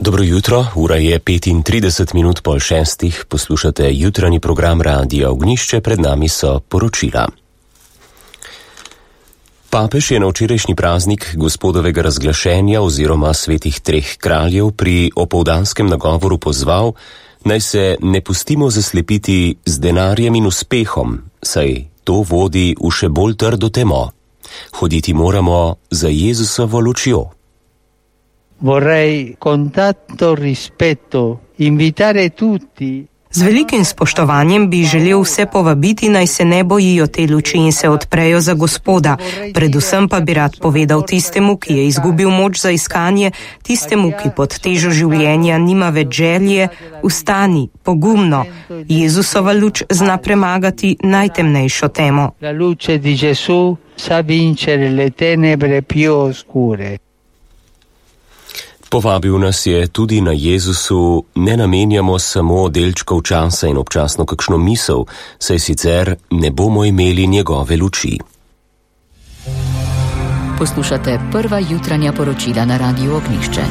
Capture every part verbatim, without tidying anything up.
Dobro jutro, ura je petintrideset minut pol šestih, poslušate jutranji program Radia Ognjišče, pred nami so poročila. Papež je na včerajšnji praznik gospodovega razglašenja oziroma svetih treh kraljev pri opoldanskem nagovoru pozval, naj se ne pustimo zaslepiti z denarjem in uspehom, saj to vodi v še bolj trdo temo. Hoditi moramo za Jezusovo lučjo. Vorrei con tanto rispetto invitare tutti. Z velikim spoštovanjem bi želel vse povabiti, naj se ne bojijo te luči in se odprejo za Gospoda. Predvsem pa bi rad povedal tistemu, ki je izgubil moč za iskanje, tistemu, ki pod težo življenja nima več želje, vstani, pogumno. Jezusova luč zna premagati najtemnejšo temo. La luce di Gesù sa vincere le tenebre più oscure. Povabil nas je tudi na Jezusu, ne namenjamo samo delčkov časa in občasno kakšno misel, saj sicer ne bomo imeli njegove luči. Poslušate prva jutranja poročila na Radiu Ognjišče.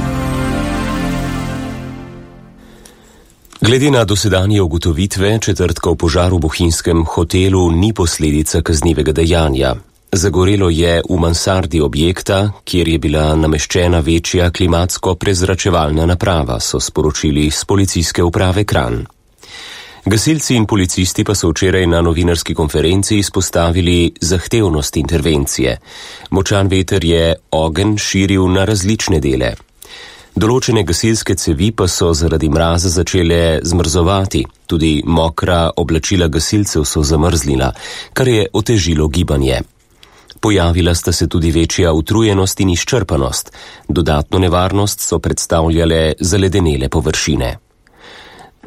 Glede na dosedanje ugotovitve, četrtkov požar v bohinjskem hotelu ni posledica kaznivega dejanja. Zagorelo je v mansardi objekta, kjer je bila nameščena večja klimatsko prezračevalna naprava, so sporočili z policijske uprave Kranj. Gasilci in policisti pa so včeraj na novinarski konferenci izpostavili zahtevnost intervencije. Močan veter je ogenj širil na različne dele. Določene gasilske cevi pa so zaradi mraza začele zmrzovati, tudi mokra oblačila gasilcev so zamrzlila, kar je otežilo gibanje. Pojavila sta se tudi večja utrujenost in izčrpanost. Dodatno nevarnost so predstavljale zaledenele površine.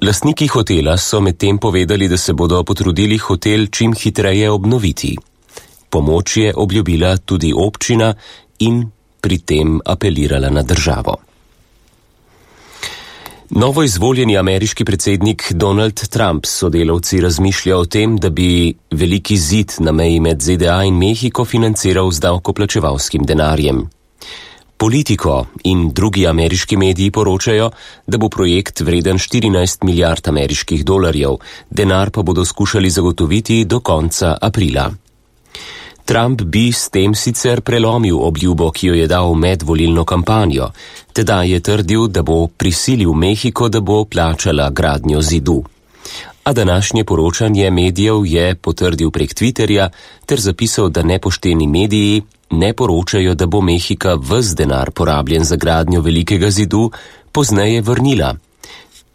Lastniki hotela so medtem povedali, da se bodo potrudili hotel čim hitreje obnoviti. Pomoč je obljubila tudi občina in pri tem apelirala na državo. Novo izvoljeni ameriški predsednik Donald Trump s sodelavci razmišlja o tem, da bi veliki zid na meji med Z D A in Mehiko financiral z davkoplačevalskim denarjem. Politico in drugi ameriški mediji poročajo, da bo projekt vreden štirinajst milijard ameriških dolarjev, denar pa bodo skušali zagotoviti do konca aprila. Trump bi s tem sicer prelomil obljubo, ki jo je dal med volilno kampanjo. Tedaj je trdil, da bo prisilil Mehiko, da bo plačala gradnjo zidu. A današnje poročanje medijev je potrdil prek Twitterja ter zapisal, da nepošteni mediji ne poročajo, da bo Mehika ves denar porabljen za gradnjo velikega zidu pozneje vrnila.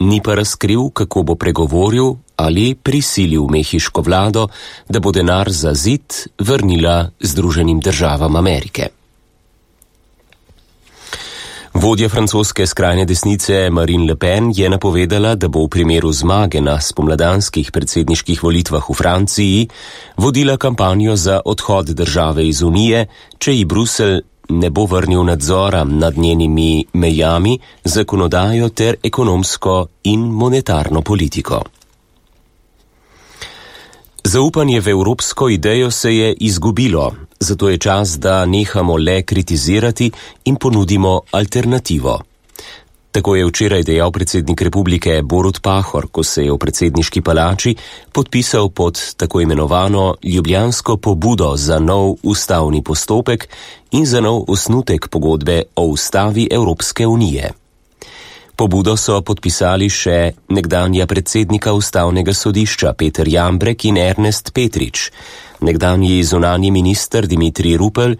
Ni pa razkril, kako bo pregovoril ali prisilil mehiško vlado, da bo denar za zid vrnila Združenim državam Amerike. Vodja francoske skrajne desnice Marine Le Pen je napovedala, da bo v primeru zmage na spomladanskih predsedniških volitvah v Franciji vodila kampanjo za odhod države iz Unije, če ji Bruselj ne bo vrnil nadzora nad njenimi mejami, zakonodajo ter ekonomsko in monetarno politiko. Zaupanje v evropsko idejo se je izgubilo, zato je čas, da nehamo le kritizirati in ponudimo alternativo. Tako je včeraj dejal predsednik republike Borut Pahor, ko se je v predsedniški palači podpisal pod tako imenovano ljubljansko pobudo za nov ustavni postopek in za nov osnutek pogodbe o ustavi Evropske unije. Pobudo so podpisali še nekdanja predsednika ustavnega sodišča Peter Jambrek in Ernest Petrič, nekdanji zunanji minister Dimitrij Rupel,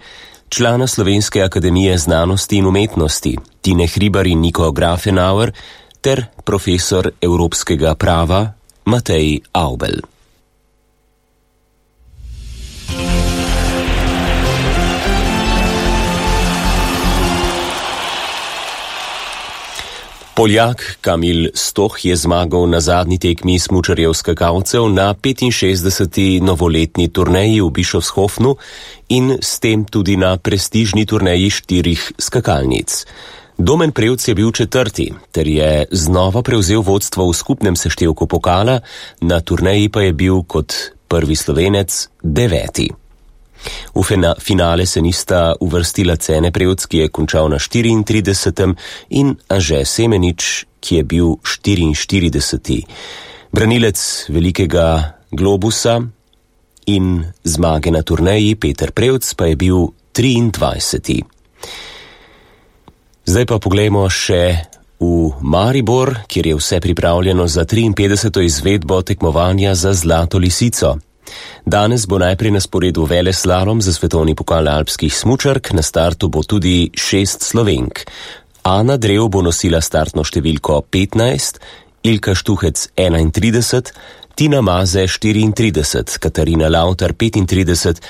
člana Slovenske akademije znanosti in umetnosti Tine Hribar in Niko Grafenauer ter profesor evropskega prava Matej Avbelj. Poljak Kamil Stoh je zmagal na zadnji tekmi smučarjev skakalcev na petinšestdeseti novoletni turneji v Bischofshofenu in s tem tudi na prestižni turneji štirih skakalnic. Domen Prevc je bil četrti, ter je znova prevzel vodstvo v skupnem seštevku pokala, na turneji pa je bil kot prvi Slovenec deveti. V finale se nista uvrstila Cene Prevc, ki je končal na štiriintridesetem, in Anže Semenič, ki je bil štiriinštirideseti. Branilec velikega globusa in zmage na turneji Peter Prevc pa je bil triindvajseti. Zdaj pa poglejmo še v Maribor, kjer je vse pripravljeno za triinpetdeseto izvedbo tekmovanja za Zlato lisico. Danes bo najprej na sporedu veleslalom za svetovni pokal alpskih smučark, na startu bo tudi šest Slovenk. Ana Drev bo nosila startno številko petnajst, Ilka Štuhec enaintrideset, Tina Maze štiriintrideset, Katarina Lavtar petintrideset,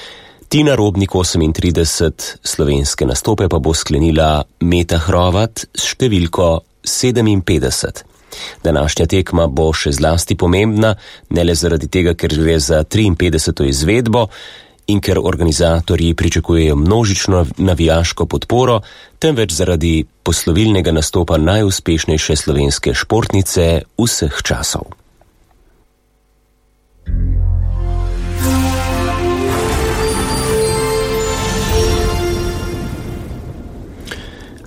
Tina Robnik osemintrideset, slovenske nastope pa bo sklenila Meta Hrovat s številko sedeminpetdeset. Današnja tekma bo še zlasti pomembna, ne le zaradi tega, ker gre za triinpetdeseto izvedbo in ker organizatorji pričakujejo množično navijaško podporo, temveč zaradi poslovilnega nastopa najuspešnejše slovenske športnice vseh časov.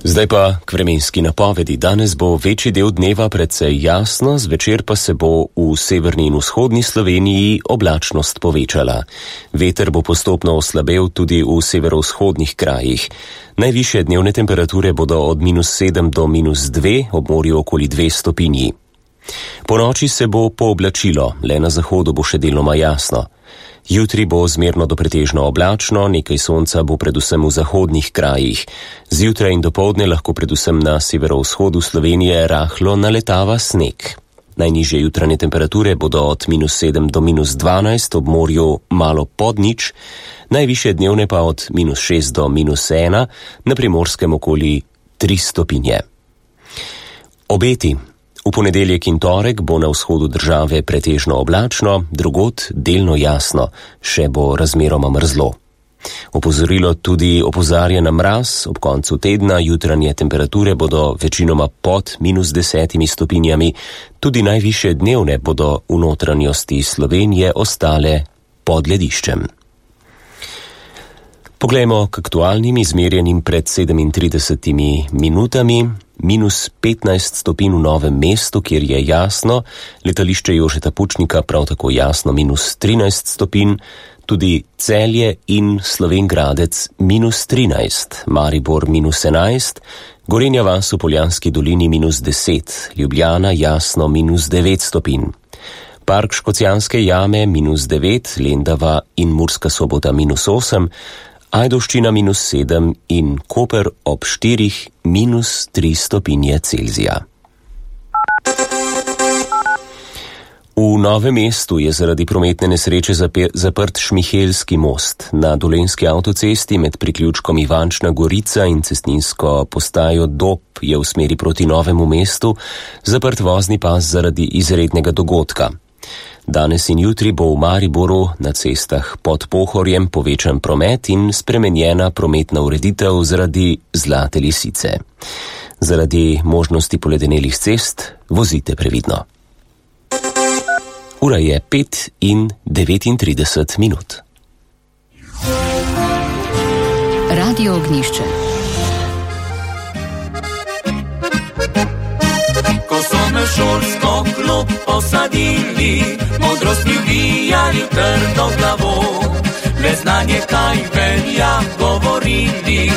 Zdaj pa k vremenski napovedi. Danes bo večji del dneva precej jasno, zvečer pa se bo v severni in vzhodni Sloveniji oblačnost povečala. Veter bo postopno oslabel tudi v severovzhodnih krajih. Najvišje dnevne temperature bodo od minus sedem do minus dve, ob morju okoli dve stopinji. Po noči se bo pooblačilo, le na zahodu bo še deloma jasno. Jutri bo zmerno do pretežno oblačno, nekaj sonca bo predvsem v zahodnih krajih. Zjutraj in dopoldne lahko predvsem na severovzhodu Slovenije rahlo naletava sneg. Najnižje jutranje temperature bodo od minus sedem do minus dvanajst, ob morju malo pod nič, najvišje dnevne pa od minus šest do minus ena, na Primorskem okoli tri stopinje. Obeti. V ponedeljek in torek bo na vzhodu države pretežno oblačno, drugod delno jasno, še bo razmeroma mrzlo. Opozorilo tudi opozarja na mraz, ob koncu tedna jutranje temperature bodo večinoma pod minus desetimi stopinjami, tudi najvišje dnevne bodo v notranjosti Slovenije ostale pod lediščem. Poglejmo k aktualnim izmerjenim pred sedemintridesetimi minutami. Minus petnajst stopinj v Novem mestu, kjer je jasno, letališče Jožeta Pučnika prav tako jasno minus trinajst stopinj, tudi Celje in Slovenj Gradec minus trinajst, Maribor minus enajst, Gorenja vas v Poljanski dolini minus deset, Ljubljana jasno minus devet stopinj. Park Škocjanske jame minus devet, Lendava in Murska Sobota minus osem, Ajdovščina minus sedem in Koper ob štirih minus tri stopinje Celzija. V Novem mestu je zaradi prometne nesreče zaprt Šmihelski most. Na Dolenjski avtocesti med priključkom Ivančna Gorica in cestninsko postajo Dob je v smeri proti Novemu mestu zaprt vozni pas zaradi izrednega dogodka. Danes in jutri bo v Mariboru na cestah pod Pohorjem povečan promet in spremenjena prometna ureditev zaradi Zlate lisice. Zaradi možnosti poledenelih cest vozite previdno. Ura je pet in devetintrideset minut. Radio Ognjišče. Ko so me šolsko klop posadili, modrost mi uvijali trdo glavo, le znanje kaj velja govorili,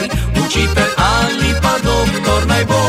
učitelj ali pa doktor naj bo.